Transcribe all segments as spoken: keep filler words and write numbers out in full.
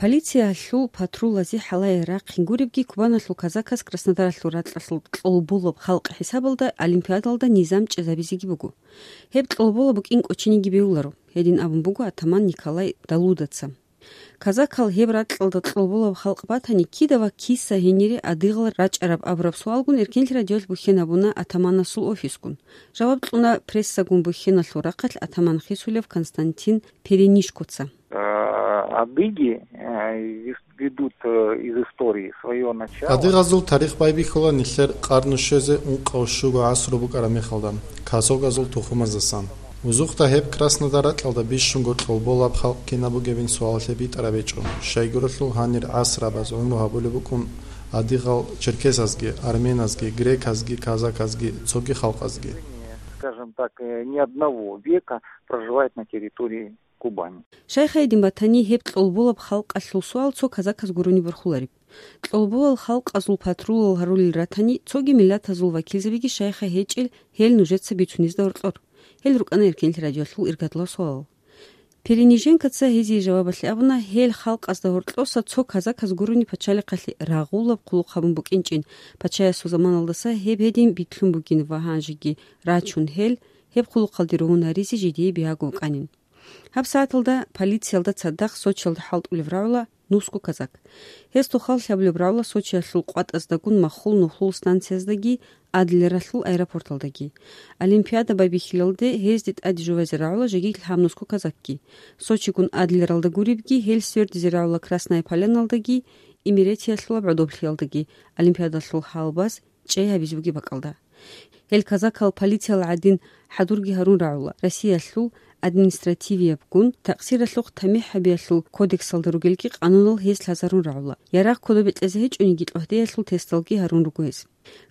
Полициялъул патрулазе хӀалае рахъин гуребги, Кубаналъул казаказ Краснодаралъул ракьалъул кьолболаб халкъ хӀисабалда Олимпиадалда низам чӀезабизеги буго. Гьеб кьолбола букӀин кӀочениги бегьуларо, гьедин абун буго атаман Николай Далудаца. Казакал гьеб ракьалда кьолболаб халкъ батани, кида ва киса гьенире адигъал рачӀараб абураб суалгун Эркенлъи радиоялъ бухьен гьабуна атаманасул офисгун. Жаваб кьуна прессагун бухьеналъул рахъалъ атаман хисулев Константин Перенишкоца. Э, адыги, э, вис-, ведут, э, из истории своё начало. Адыгъазул тарих байбихьула нилъер къарну щвезе ункъав щуго гӀасру букӀараб мехалда, казакъазул тухумаздасан. Узухъда гьеб Краснодар ракьалда бищунго кьолболаб халкъ кинаб бугебин суалалъе битӀараб гьечӀо, щайгурелъул гьанир гӀасрабаз гӀумру гьабулеб букӀун адыгъал черкесазги, арменазги, греказги, казаказги, цоги халкъазги. Скажем так, э, не одного века проживает на территории Кубани. Щайха гьедин батани, гьеб кьолболаб халкъалъул суал цо казаказ гурони борхулареб. Кьолболал халкъазул патрулал гьарулел ратани, цоги миллатазул вакилзабиги щайха гьечӀел, гьел нужеца бицунезда гьоркьор. Гьел рукӀана Эркенлъи радиоялъул иргадулаб суалал. Перениженкоца гьезие жавабалъе абуна, гьел халкъазда гьоркьоса цо казаказ гурони пачалихъалъе рагъулаб хъулухъ гьабун букӀинчӀин, пачаясул заманалдаса гьеб гьедин битлъун бугин ва гьанжеги рачун гьел, гьеб хъулухъалде ругьун гьаризе жидее бигьаго вукӀанин. Гьаб сагӀаталда полициялда цадахъ Сочиялда хӀалтӀулев рагӀула нусго казак. Гьез тухал лъабулеб рагӀула Сочиялъул къватӀаздагун махул нухлул станцияздаги, Адлералъул аэропорталдаги. Олимпиада байбихьилалде гьезде тӀаде жувазе рагӀула жеги лъабнусго казакги. Сочигун Адлералда гуребги, гьел свердизе рагӀула Красная Поляналдаги, Имеретиялъулаб гӀодоблъиялдаги, Олимпиадалъул гьалбаз чӀей гьабизе бугеб бакӀалда. Гьел казакал полициял гӀадин хӀадурги гьарун рагӀула, Россиялъул административиябгун такъсиралъухъ тамихӀ гьабиялъул кодексалда ругелги къанунал гьез лъазарун рагӀула. Ярагъ кодобе кьезе гьечӀониги, тӀогьдеялъул тесталги гьарун руго гьез.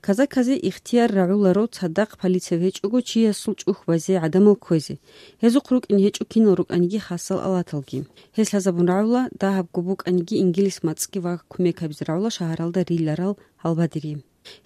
Казаказе ихтияр рагӀуларо цадахъ полицияв гьечӀого чиясул чӀухь базе гӀадамал кквезе. Гьезухъ рукӀине гьечӀо кинал рукӀаниги хасал алаталги. Гьез лъазабун рагӀула, дагьабго букӀаниги, ингилис мацӀги ва кумек гьабизе рагӀула шагьаралда риларал гьалбадери.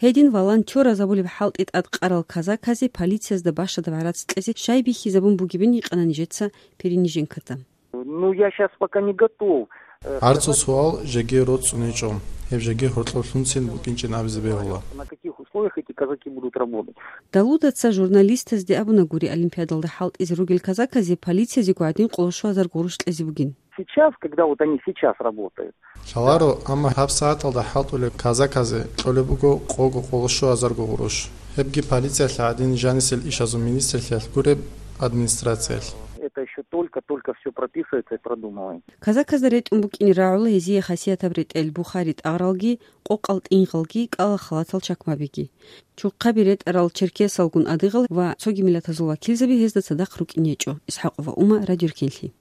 Гьедин волонтёраз абулеб хӀалтӀи тӀадкъарал казаказе полициязда бащадаб гӀарац кьезе щай бихьизабун бугебин гьикъана нижеца Перениженкода. Ну, я щас пока не готов, э, ГӀарцул сказать, суал жеги роцӀцӀун гьечӀо, гьеб жеги гьоркьоблъунцин букӀинчӀин абизе бегьула. На каких условиях эти казаки будут работать? Далудаца журналистазде абуна гури Олимпиадалда хӀалтӀизе ругел казаказе полициязего гӀадин къоло щуазар гъурущ кьезе бугин. Сейчас, когда вот они сейчас работают. Лъаларо, амма гьаб сагӀаталда хӀалтӀулел казаказе кьолеб буго къого къоло щуазарго гъурущ. Гьебги полициялъ гӀадин жанисел ишазул министрлъиялъ гуреб администрациялъ. Это ещё только-только всё прописывается и продумывается. Казаказда ретӀун букӀине рагӀула гьезие хасиятаб ретӀел, бухари-тӀагъралги, къокъал-тӀингъалги, кӀала халатал чакмабиги. Чухъаби ретӀарал черкесалгун адыгъал ва цоги миллатазул вакилзаби гьезда цадахъ рукӀине гьечӀо. ИсхӀакъова Ума, Радио Эркенлъи.